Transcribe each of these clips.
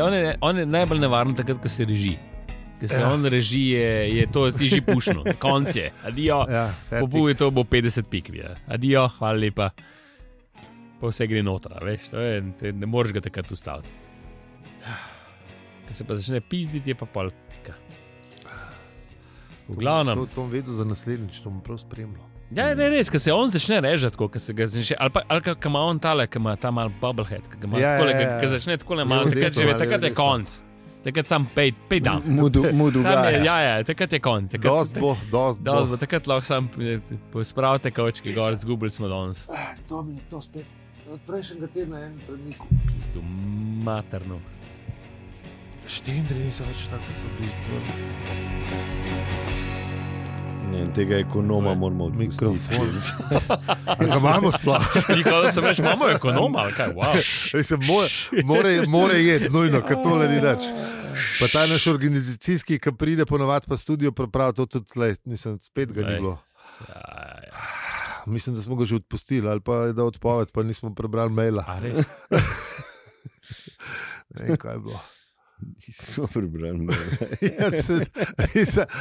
On je najbolj nevaren takrat, ko se reži. Ker se on reži, je to že pušno. Konc je. Adijo. Pobuje to bo 50 pik. Adijo, hvala lepa. Pa vse gre notra, veš. Ne moreš ga takrat ustaviti. Ko se pa začne pizditi, je pa polka. V glavnem. To bom vedel za naslednjič, to bom prav spremljal. Ja, ne, res, ko se on začne režati, ko se ga začne, ali ko ima on tale, ko ima ta mal bubblehead, ko začne takole malo, takrat je konc. Takrat sam pej dam. Mudu ga. Ja, takrat je konc. Dost bo. Takrat lahko sam spravite kavčke gor, zgubili smo danes. To mi je to spet. Od prejšnjega tedna en premik. Pistu, materno. Štendri niso več tako, kot so bili. Tega ekonoma moramo odpustiti. Mikrofon. Ga imamo sploh. Nikoli sem reč, imamo ekonoma, ali kaj, wow. More jeti, nujno, kad tole ni več. Pa ta naš organizacijski, ki pride ponovadi pa studio pripravi, to tudi tle, mislim, spet ga ni bilo. Mislim, da smo ga že odpustili, ali pa je da odpoved, pa nismo prebrali maila. A res? Ne vem, kaj je bilo. Nismo prebrali.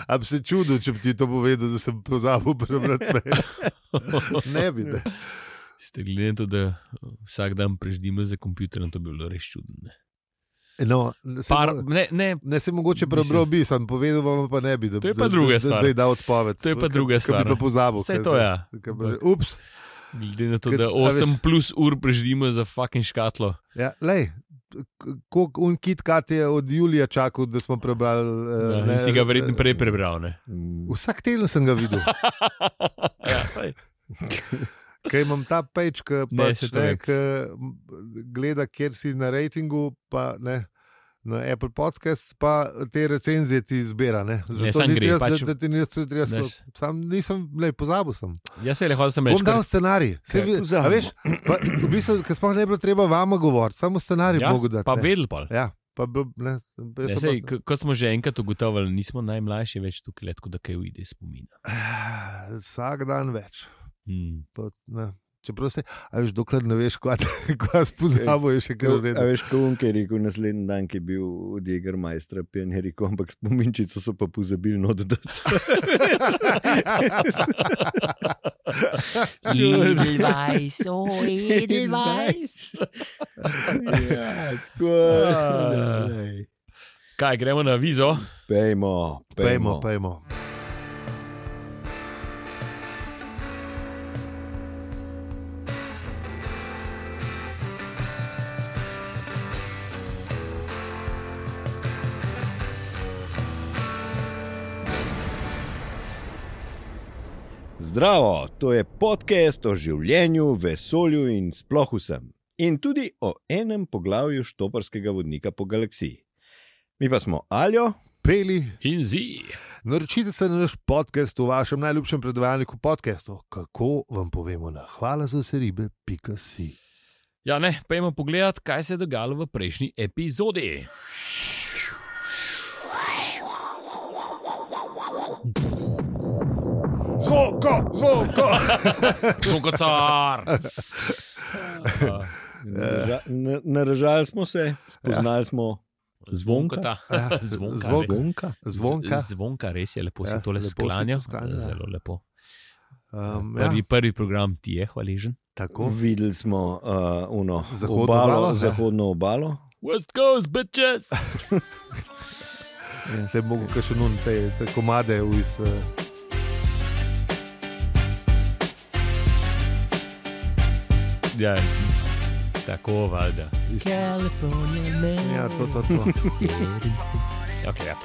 A bi se čudil, če bi ti to povedal, da sem pozabil prebrati mail. Ne bi, ne. Ste gledali to, da vsak dan preždimo za kompjuterjem, to bi bilo res čudno. No, ne se mogoče prebral bi, sem povedal vam pa ne bi, da je pa druga stvar. Da je dal odpoved. To je pa druga stvar. Kaj bi pa pozabil. Vse to, ja. Ups. Glede na to, da 8 plus ur preždimo za fucking škatlo. Ja, lej. Koliko KitKat je od Julija čakal, da smo prebrali. Si ga verjetno prej prebral, ne? Vsak teden sem ga videl. Ja, saj. Kaj imam ta page, ki gleda, kjer si na ratingu, pa ne, na Apple Podcasts, pa te recenzije ti zbira. Zato ni treba, da ti nisem treba. Sam nisem, pozabil sem. Ja, se je leho, da sem rekel. Bom dal scenarij. A veš, v bistvu, ker sploh ne bilo treba vama govoriti, samo scenarij mogo dati. Pa vedel pa. Ja. Kot smo že enkrat ugotovili, nismo najmlajši več tukaj letko, da kaj ujde spomina. Vsak dan več. Čeprav se, a veš, dokler ne veš, kaj spozabo je še kaj uredno. A veš, ko je rekel naslednji dan, ki je bil od Jägermeistra, pijan je rekel, ampak spominčico so pa pozabili oddati. Edelweiss, Edelweiss. Kaj, gremo na avizo? Pejmo. Zdravo, to je podcast o življenju, vesolju in sploh vsem. In tudi o enem poglavju štoparskega vodnika po galaksiji. Mi pa smo Aljo, Peli in Zi. Naročite se na naš podcast v vašem najljubšem predvajalniku podcastov. Kako vam povemo na hvalazaseribe.si. Ja, ne, pojmo pogledat, kaj se je dogajalo v prejšnji epizodi. Zvokocar! Naražali smo se, spoznali smo Zvonka. Zvonka, res je lepo, se tole sklanjal. Zelo lepo. Prvi program ti je hvaležen. Tako. Videli smo zahodno obalo. West Coast, bitches! Se mogo še nun te komade iz... Ja, tako valjda. California man. Ja, to. Okay, ja.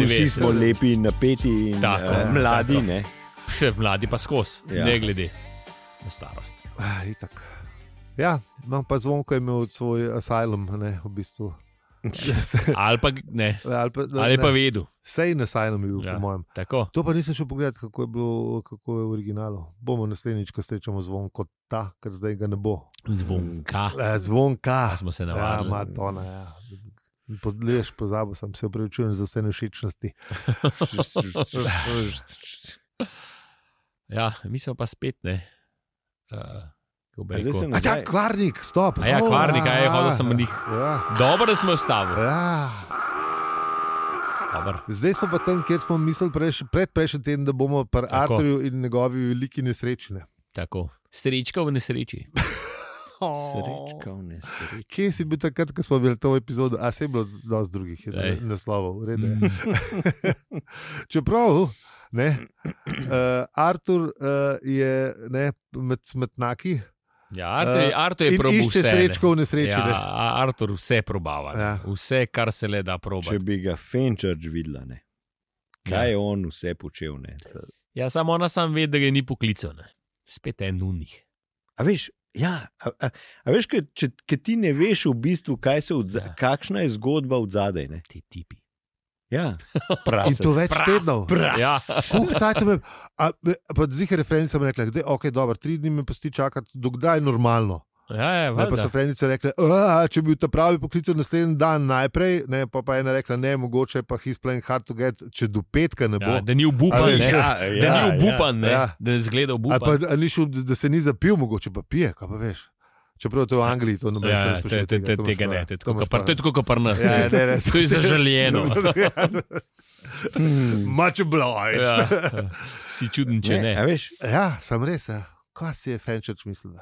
Vsi smo lepi, napeti in mladi, ne? Mladi pa skos, ne glede na starost. Itak. Ja, no, pa Zvonko je imel svoj asylum, ne, v bistvu. Ali pa ne, ali pa vedu. Sej na asylum je bil, po mojem. Tako. To pa nisem šel pogledati, kako je v originalu. Bomo naslednjič, ko srečamo Zvonko ta, ker zdaj ga ne bo. Zvonka. Zvonka. Smo se navadili. Ja, Matona, ja. Podleješ, pozabil sem, se opravičujem za vse nevšečnosti. Ja, mi smo pa spet, ne. Kvarnik, stop. Kvarnik, hodil sem od njih. Dobro, da smo vstavili. Zdaj smo pa tam, kjer smo mislili predprejšnji teden, da bomo pri Arturju in njegovi veliki nesrečne. Tako, srečka v nesreči. Srečka v nesreči. Kje si bil takrat, ko smo bili to epizodo? Se je bilo dosti drugih naslovov. Čeprav, Artur je med smetnaki. Artur je probil vse. In išče srečko v nesreči. Artur vse probava. Vse, kar se le da probati. Če bi ga Fenčarč videla, kaj je on vse počel. Samo ona sam ve, da ga ni poklical. Spet en unih. A veš, če ti ne veš v bistvu, kakšna je zgodba od zadaj. Ti tipi. Ja, in to več tednov. Pa zdaj referenca mi rekla, da je dobro, 3 dni me pusti čakati, dokdaj je normalno. Pa so reference rekle, če bi ta pravi poklical naslednji dan najprej, pa je ena rekla, ne, mogoče pa he's playing hard to get, če do petka ne bo. Da ni obupan, da ni obupan, da ne zgleda obupan. Pa ni šel, da se ni zapil, mogoče pa pije, kaj pa veš. Čeprav to v Angliji, to noben se ne sprašuje. Tega ne, to je tako kot pri nas. To je zaželjeno. Much obliged. Si čuden, če ne. Sam res, kaj si je Fenčarč mislila?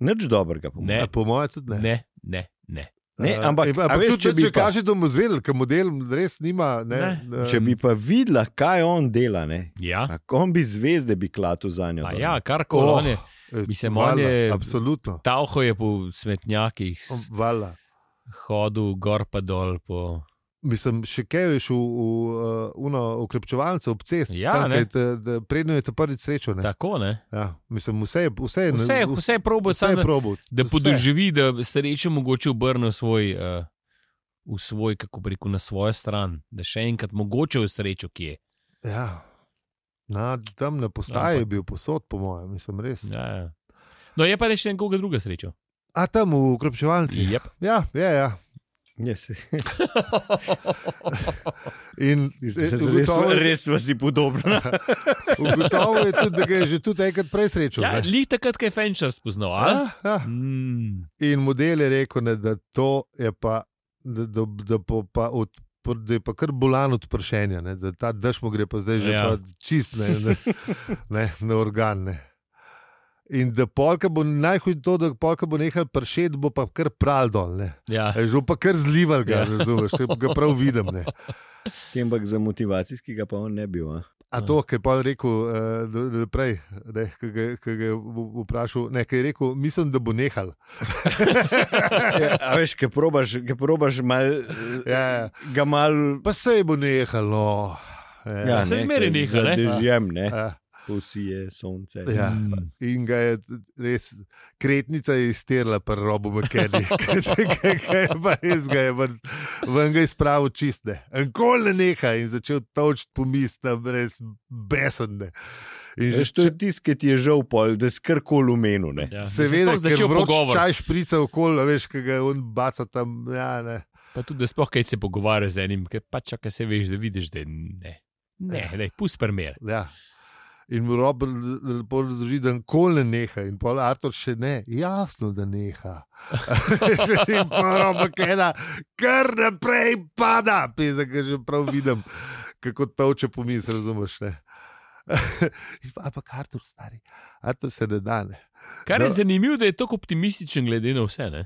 Nič dobrega, po mojem tudi ne. Ne. Ampak če kaže, da bomo zvedeli, ker model res nima. Če bi pa videla, kaj on dela, on bi zvezde bi klatil za njo. Karkoli on je. Mislim, on je absolutno. Tauho je po smetnjakih. Hodil gor pa dol po... Mislim, še kaj je šel v ukrepčevalce ob cest, predno je te prvič srečo. Tako, ne? Mislim, vse je probal, da podoživi, da srečo mogoče obrne v svoj, kako bi rekel, na svojo stran, da še enkrat mogoče v srečo kje. Tam na postaji je bil posod, po mojem, mislim, res. No, je pa reči nekoga druga srečo. Tam v ukrepčevalci? Ja. Yes. Res vas je podobno. Ugotovil je tudi, da ga je že tudi enkrat prej srečal. Lih takrat, kaj je Fenčarč spoznal. In model je rekel, da to je pa, da je pa kar bolan od pršenja, da ta dež mu gre pa zdaj že pa čist na organ. In da polka bo najhuj to, da polka bo nehal pršeti, bo pa kar pral dol. Že pa kar zlival ga, razumeš, ga prav vidim. Ampak za motivacijskega pa on ne bil. To, kaj je pa rekel prej, kaj ga je vprašal, kaj je rekel, mislim, da bo nehal. A veš, kaj probaš ga mal... Pa sej bo nehal, no. Se zmeri nehal, ne? Zadežjem, ne? Posije sonce. In ga je res, kretnica je izterla pri Robu McKenny. Res ga je ven ga izpravil čistne. Enkoli ne neha in začel točiti po misli, res besodne. To je tisti, ki ti je žal pol, da si karkoli umenil. Seveda, ker vroč čaj šprica okoli, veš, kaj ga je on baca tam. Pa tudi, da sploh kaj se pogovarja z enim, ker pa čakaj se veš, da vidiš, da ne, pust primer. In mu Rob lepo razloži, da nikoli ne neha. In pol Artur še ne. Jasno, da neha. In pa Rob McKenna kar naprej pada. Peza, ker že prav vidim, kako toče pomisli, razumeš, ne. Ampak Artur, stari. Artur se ne da, ne. Kar je zanimivo, da je tako optimističen glede na vse, ne.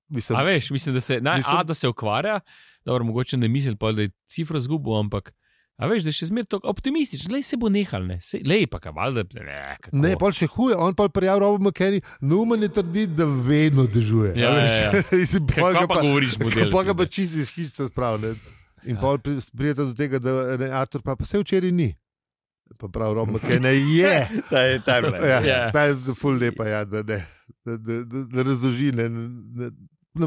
Mislim. A veš, mislim, da se, da se ukvarja, dobro, mogoče ne misli, da je cifra zgubil, ampak a veš, da je še zmer tako optimističen, lej se bo nehal, ne, lej pa kamal, da ne, pol še huje, on pol prijav Robu McKenny, Numan je trditi, da vedno dežuje. Kaj pa govoriš model? Pa ga pa čisto iz hišice sprav, ne. In pol prijete do tega, da Artur pa se včeraj ni. Pa prav Rob McKenny je. Ta je ful lepa, da razloži, ne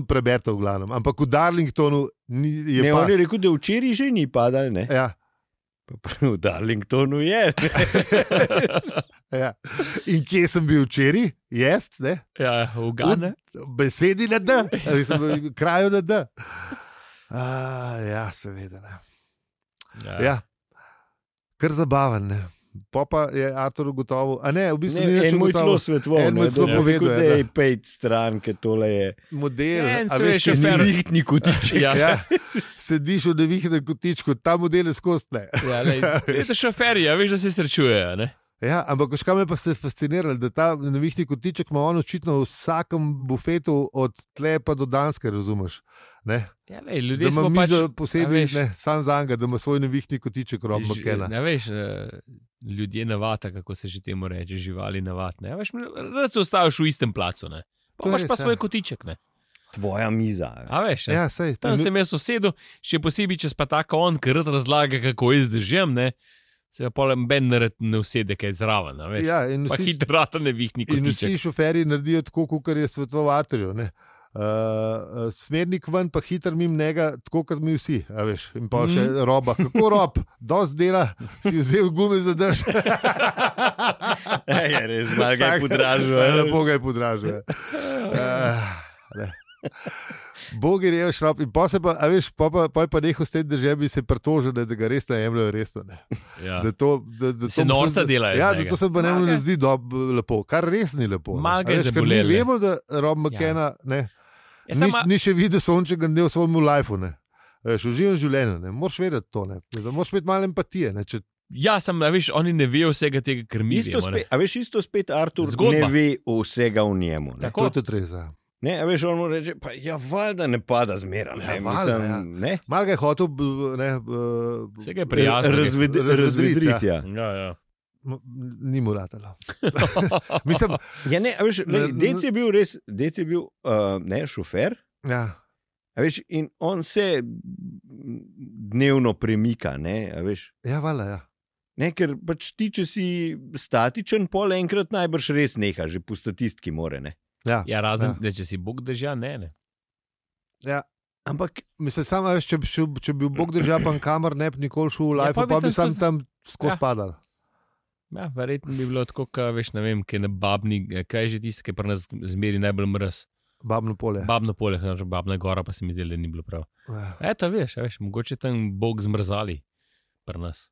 preberta v glavnem. Ampak v Darlingtonu je pa... Ne, on je rekel, da včeraj že ni padal, ne? V Darlingtonu je. In kje sem bil včeraj? Jest, ne? V Gane. Besedi na D, v kraju na D. Seveda, ne. Kar zabaven, ne. Pa je Artur ugotovil, a ne, v bistvu ni En več moj celo ugotovil. svetoval, En mu je celo povedal, da je pejt stran, ker tole je Model, En a se veš, je če šofer. nevihtni kotiček. Ja. sediš v nevihtem kotičku, ta model je skozi ne. Ja, je to šoferji, veš, da se srečujejo. Ne? Ja, ampak veš, kaj me pa se fasciniralo, da ta nevihti kotiček ima on očitno v vsakem bufetu od tle pa do Danske, razumeš? Ne? Ja, lej, Da ljudje ima smo pač mizo posebej, a veš, ne, sam za njega, da ima svoj nevihti kotiček Rob McKenna. Ne veš, ljudje navata, kako se že temu reče, živali navatne. Ja, veš, rad se ostaviš v istem placu, ne. To je Pa imaš pa res, svoj ja. kotiček, ne. Tvoja miza. A veš, ne. Ja, sej. Tam sem jaz usedel, še posebej, če pa tako on, ker rad razlaga, kako jaz držim, ne. Se pa potem ben ne usede, kaj zraven, a veš. Ja, in Pa vsi, hitro rata nevihni in kotiček. vsi šoferji naredijo tako, kot je svetoval Arturju. Smernik ven, pa hiter mimo njega, tako kot mi vsi. A veš, in pa še Roba. Kako Rob, dosti dela, si vzel gume za drž. Je res, malo ga je podražil. Lepo ga je podražil. Bog je rekel, šrop, in pa se pa, a veš, pa je pa nehal s tem državi se pritožil, da ga res ne jemljajo resno. Ne. Ja. Da to, Se norca delajo iz Ja, njega. da to se pa njemu Malo ne ga- zdi lepo, kar res ni lepo. ne. Malo ga A je veš, ker mi zabolelo, ne. vemo, da Rob McKenna ne, Ja, sama, ni še videl sončnega dne v svojem lifeu. Ne. Veš, uživam življenje, ne. Moraš vedeti to. Ne. Da moraš imeti malo empatije. Ne. Če, ja, sem, a veš, oni ne vejo vsega tega, kar mi Isto vemo, ne. spet, a veš, isto spet Artur Zgodba. ne ve vsega v njemu. Ne? Tako. to je tudi res. Ja. Ne, a veš, on mu reče, pa ja, valjda ne pada zmeraj. Ja, Ne, valjda, mislim, ja. ne. Malo ga je hotel ne, Vsega je prijazno. Razvedriti, ja. Ja, ja. ni mu ratalo. Mislim, Ja, ne, a veš, Dec je bil res, Dec je bil ne, šofer. ja. A veš, in on se dnevno premika, ne, a veš. Ja, vala, ja. Ne, ker pač ti, če si statičen, pol enkrat najbrž res neha, že po statistiki more. Ne. Ja, Ja, razen, Ja. da če si Bog drža, ne. ja. Ampak Mislim, samo, veš, če bi Bog držal pa kamor, ne bi nikoli šel v Ja, live, pa bi pa bi tam sam skozi- tam skozi Ja. padal. Ja, verjetno bi bilo tako, ka, veš, ne vem, kaj na babni, kaj je že tisto, ki je pri nas zmeri najbolj mraz. Babno polje. Babno polje, znači babna gora, pa se mi zdi, da ni bilo prav. Ja. Eto, veš, mogoče tam Bog zmrzali pri nas.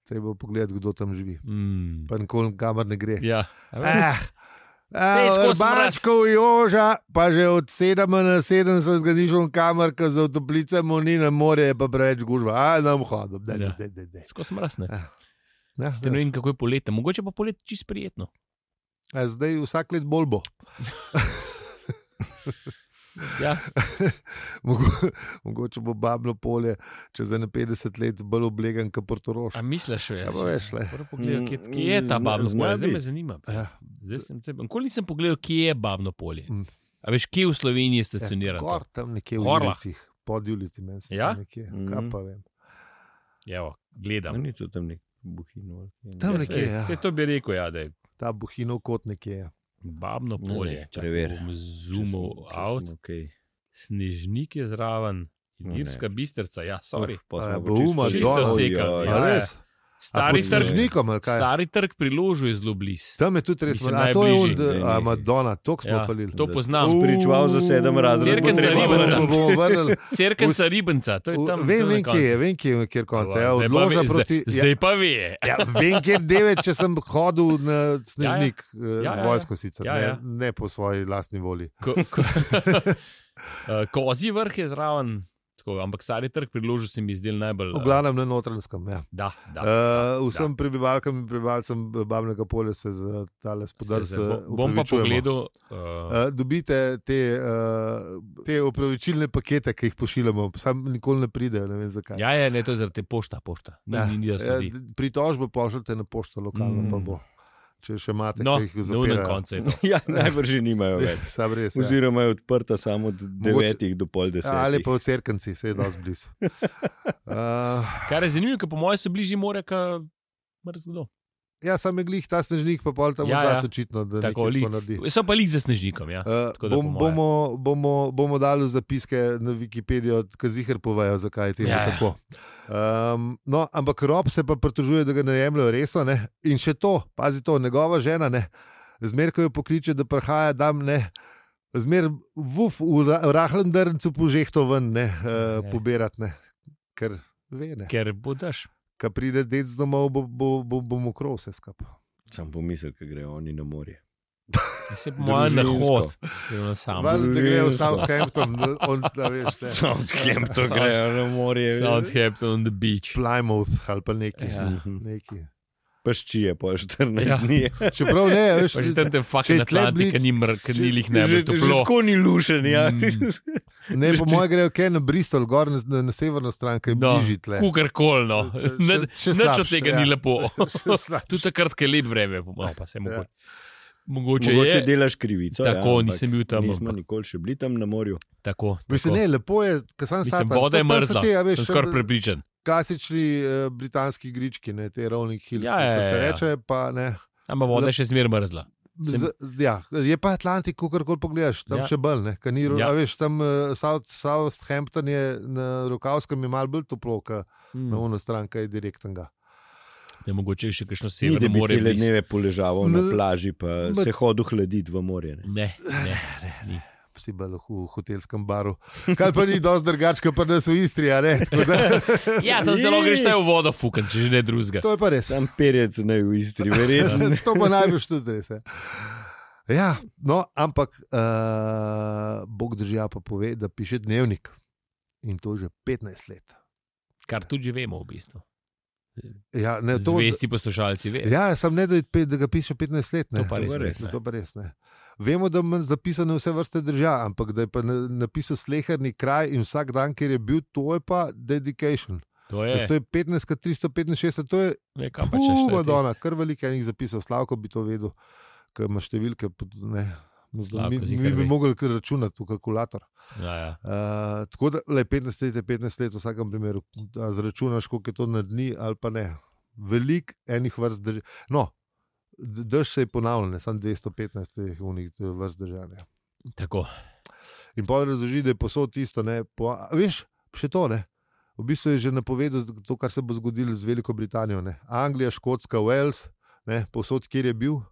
Treba pogledati, kdo tam živi. Mm. Pa nikoli kamor ne gre. Ja, a veš, Eh, skozi Bačkov Joža, pa že od 7 na 70 zganišel kamor, ker za toplicami ni na morje, je pa preveč gužva. A, nam hodom, Ja. da. skozi mraz, ne. Ja, Ste ne vem, kako je poletje, mogoče pa poletje čisto prijetno. zdaj vsak let bolj bo. Ja, Mogoče bo babno polje čez 50 let bolj oblegan kot Portorož. a misliš, Ja, pa veš, le. kje je ta babno Zna polje, zdaj me biti. zanima. Ja. Nikoli nisem pogledal, kje je babno polje. Mm. A veš, kje v Sloveniji je stacionirano? Gor tam nekje v Horlah. ulicah, pod ulici, meni se Ja? zdi nekje. Mhm. Kaj pa vem. Evo, gledam. ni to tam nek buhino. Tam Ja, nekje, ja. Vse to bi rekel, ja, da je Ta buhinov kot nekje je. babno Ne, polje. ne, Čakaj, preveri. bom zoomil out. Okay. Snežnik je zraven, Ilirska Bistrica, ja, sorry. Bouma, Čisto dol. sekal, Ja, res. Stari pod trg, Snežnikom, ali kaj? stari trg pri Ložu je zelo blizu. Tam je tudi res. Mislim, A to je najbližji. on, Madonna, to smo Ja, falili. to poznam. Spričeval za 7 razredov. Cerkenca Ribenca. Bomo vrnili. Cerkenca Ribenca, to je tam. Vem, tam na vem, kje je, koncu. vem, kje je, kjer konca. Ja, Zdaj pa odloža ve- proti. Zdaj pa ve. Ja, vem, kjer devet, če sem hodil na Snežnik Ja, z ja. vojsko sicer, Ja, ja. ne po svoji lastni volji. Kozji vrh je zraven, tako, ampak stari trg pri Ložu se mi zdel najbolj. V glavnem na Notranjskem. Ja. Da, da. Vsem prebivalkam in prebivalcem Babnega polja se za tale spodrsa. Bom pa pogledal. Dobite te opravičilne pakete, ki jih pošiljamo, sam nikoli ne pridejo, ne vem zakaj. Ja, ne, to je zaradi te pošta. Ja, Ni da sledi. pritožbe pošljete na pošto lokalno, pa bo. Če še imate, No, ki jih na unem zapirajo. koncu je to. Ja, najbrž že nimajo več. Sam res. Ja. Oziroma je odprta samo od 9 do pol 10. Ali pa v Cerkanci, se je dosti blizu. Kar je zanimivo, ker po mojem so bližje more, kot mrzlo. Ja, sam je glih ta Snežnik, pa pol tam Ja, odzad ja. očitno, da Tako, nekaj li- tako naredi. So pa lih za snežnikom, ja. Tako da po moje. Bomo dali zapiske na Wikipedijo, ki zihar povejo, zakaj je temu Ja, ja. tako. No, ampak Rob se pa pritožuje, da ga ne jemljajo resno. Ne? In še to, pazi to, njegova žena, zmer, ko jo pokliče, da prihaja tam, zmer v rahlem drncu požehto ven, Ne. pobirati, ne? Ker ve, ne. Ker bodaš. ko pride dec domov, bo mokro vse skupaj. Sam pomisel, ko grejo oni na morje. Se po mojem na hod. Valjda, da grejo v Southampton, Southampton grejo na morje. Southampton on the beach. Plymouth ali pa neki. Paščije po 14 dni. Čeprav ne, veš. Pa že tam te fucking Atlantik, ni lih najbolj toplo. Že tako ni lušen, ja. Ne, po moje grejo kaj na Bristol, gor na severno stran, kaj bližji tle. Kukarkoli, no. Nič od tega ni lepo. Tu takrat, kaj lep vreme, pa se mogoče. Mogoče delaš krivico. Tako, nisem bil tam. Nismo nikoli še bili tam na morju. Tako. Mislim, ne, lepo je, ko sam Mislim, voda je mrzla, sem skoraj prepričan. Klasični britanski grički, ne, te Rolling Hills, se reče, pa ne. Ampak voda je še zmer mrzla. Je pa Atlantik, kakorkoli pogledaš, tam še bolj, ne. Veš, tam Southampton je na Rokavskem je malo bolj toplo, na ono stran, kaj je direktnega. Ne, mogoče še kakšno severno more. Ni, da bi cele dneve poležaval na plaži, pa se hodil hladiti v morje. Ne. Si bolj v hotelskem baru. Kaj pa ni dosti drugačka, pa nas v Istri, a ne? Ja, sem zelo greš vse v vodo fukan, če že ne drugega. To je pa res. Sam perec ne v Istri, verjetno. To pa najbolj tudi res. Ja, no, ampak Bog držja pa pove, da piše dnevnik. In to že 15 let. Kar tudi že vemo v bistvu. Ja, ne, zvesti poslušalci ve. Ja, sem ne, da ga piše 15 let. Ne. To pa res ne. Vemo, da ima zapisane vse vrste držav, ampak da je pa napisal sleherni kraj in vsak dan, kjer je bil, to je pa dedication. To je 15,365, to je Madonna, kar veliko enih zapisal. Slavko bi to vedel, ker ima številke. Ne. Mi bi mogli računati v kalkulator. Ja. Tako da 15 let je 15 let v vsakem primeru. Zračunaš, koliko je to na dni ali pa ne. Veliko enih vrst držav. No, drž se je ponavljal, samo 215 vrst držav. Tako. In pa razloži, da je posod isto. Veš, še to ne. V bistvu je že napovedal to, kar se bo zgodilo z Veliko Britanijo. Ne. Anglija, Škotska, Wales, ne, posod, kjer je bil.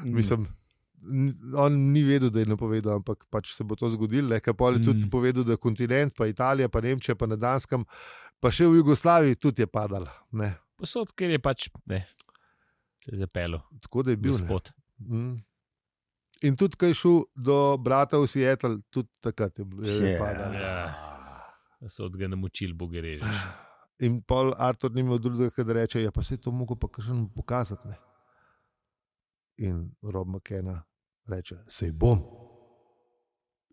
Mislim, on ni vedel, da je napovedal, ampak pač se bo to zgodilo. Kaj pa je tudi povedal, da kontinent, pa Italija, pa Nemčija, pa na Danskem, pa še v Jugoslaviji tudi je padal. Ne. Posod, ker je pač ne, se je zapelo. Tako da je bil spot. In tudi, kaj je šel do brata v Seattle, tudi takrat je padal. So od ga namučili, boge režeš. In pol Artur ni imel drugega, da reče, ja pa se je to mogel pa kakšen pokazati, ne. In Rob McKenna reče, sej bom.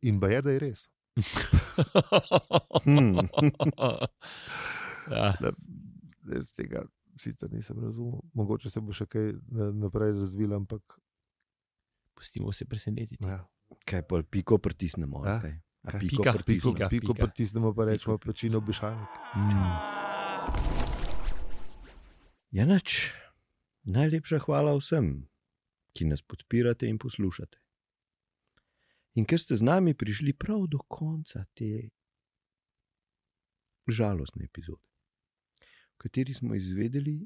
In ba je, da je res. Z tega sicer nisem razumel. Mogoče se bo še kaj naprej razvil, ampak pustimo se presenetiti. Ja. Kaj pa piko pritisnemo? Ja? Piko pritisnemo, pa rečemo pečino obešalnik. Janač, najlepša hvala vsem, ki nas podpirate in poslušate. In ker ste z nami prišli prav do konca te žalostne epizode, v kateri smo izvedeli,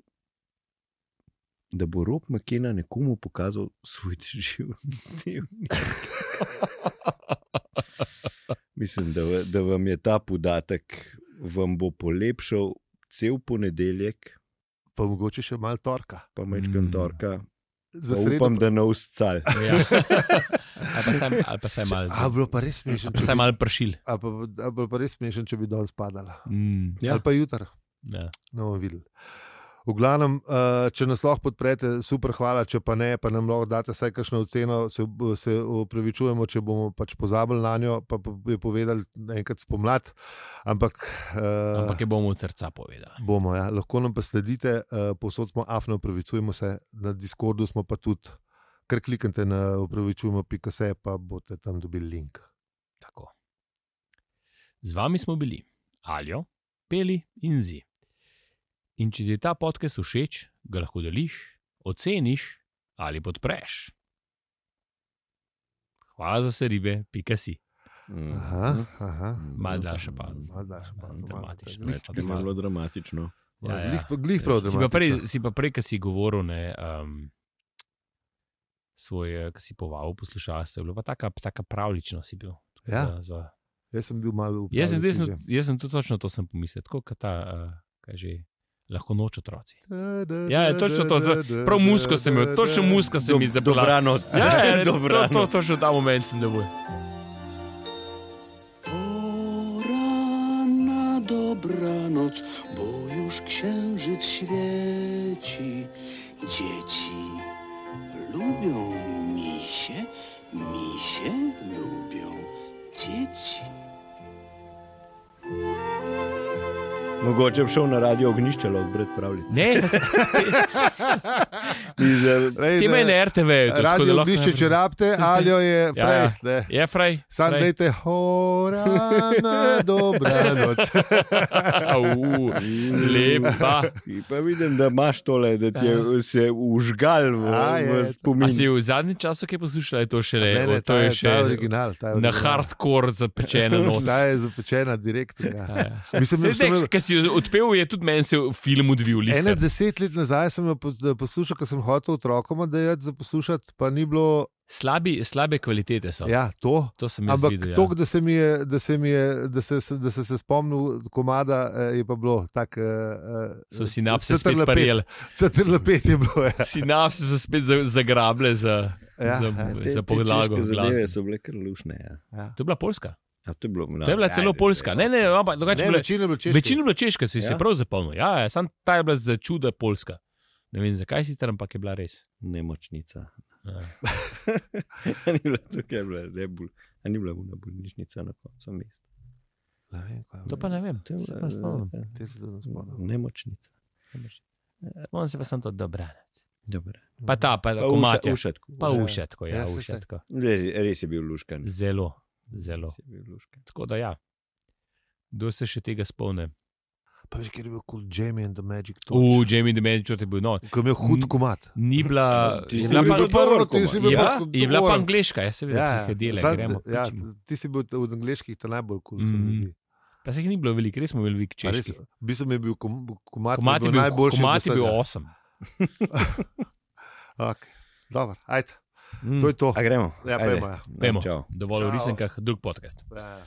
da bo Rob McKenna nekomu pokazal svoj dnevnik. Mislim, da vam je ta podatek vam bo polepšal cel ponedeljek. Pa mogoče še malo torka. Pa mečkam torka. Upam, da ne uscal. Ja. Ali pa saj malo. Bilo pa res smešen. Ali pa saj malo pršil. Ali pa res smešen, če bi danes padala. Ja. Ali pa jutra. Ja. No, videli. V glavnem, če nas lahko podprete, super, hvala, če pa ne, pa nam lahko date vsaj kakšno oceno, se opravičujemo, če bomo pač pozabili na njo, pa je povedali enkrat spomlad, ampak je bomo od srca povedali. Bomo, ja. Lahko nam pa sledite, povsod smo afno, opravičujemo se, na Discordu smo pa tudi, kar kliknite na opravičujemo.se, pa boste tam dobili link. Tako. Z vami smo bili Aljo, Peli in Zi. In če ti je ta podcast všeč, ga lahko deliš, oceniš ali podpreš. Hvala za se ribe, .si. Mal daljša pa. Dramatično. Malo dramatično. Glih prav dramatično. Si pa prej, ko si govoril, svoj, ko si povabil poslušalstvo, je bilo pa taka pravlično si bil. Ja. Jaz sem bil malo v Jaz sem tudi točno to sem pomislil, tako kot ta, kaj že, lahko noč otroci. Ja, točno to, prav musko sem imel, točno musko sem mi zapela. Dobranoc. Ja, točno ta moment sem dobil. Dobranoc, bo już księżyc świeci. Dzieci lubią misie, misie lubią dzieci. Mogoče bi šel na radio Ognjišče, lahko brati pravljice. Ne, ti me na RTV. Radio Ognjišče, če rabite, Aljo je frej. Je frej. Sam dejte, horana, dobranoc. Lepa. Pa vidim, da imaš tole, da ti je se užgal v spomin. A si v zadnjem času kaj poslušala, je to šele? Ne, to je še original. Na hardcore zapečena noč. Ta je zapečena direkt. Kaj si odpel, je tudi meni se film odvil. 10 let nazaj sem jo poslušal, ko sem hotel otrokom dajati za poslušati, pa ni bilo... Slabe kvalitete so. Ja, to sem jaz ampak videl. Ampak da se je spomnil komada, je pa bilo tak... So sinapse spet parjeli. CTRL5 je bilo, ja. Sinapse so spet zagrable za podlago. Te zadeve so bile kar lušne, ja. To je bila Poljska. Ja, to je bila celo Poljska. Ne, večina je bila češka. Večina je bila češka, si se prav zapomnil. Ja, sam ta je bila za čuda Poljska. Ne vem, zakaj si tam, ampak je bila res. Nemočnica. Ni bila tukaj, ni bila vna bolnišnica na koncu mesta. To pa ne vem, Te se to ne spomnim. Nemočnica. Spomnim se pa sem to Dobranec. Dobre. Pa ta, pa komatja. Ušetko. Pa ušetko, ja, ušetko. Res je bil luškan. Zelo. Tako da ja. Kdo se še tega spomne? Pa veš, ker je bil cool Jamie and the Magic Torch. Jamie and the Magic Torch je bil not. Ko je imel hud komat. Ni bila... Je bila pa angliška, jaz se vidim, da se dele, gremo. Ja, ti si bil od angliških ta najbolj cool. Pa se jih ni bilo veliko, res smo bili veliko češki. V bistvu mi je bil komat najboljši. Komat je bil 8. Ok, dobro, ajde. To je to. A gremo? Ja, pojmo. Pojmo. Dovolj v risenkah, drug podcast. Ja.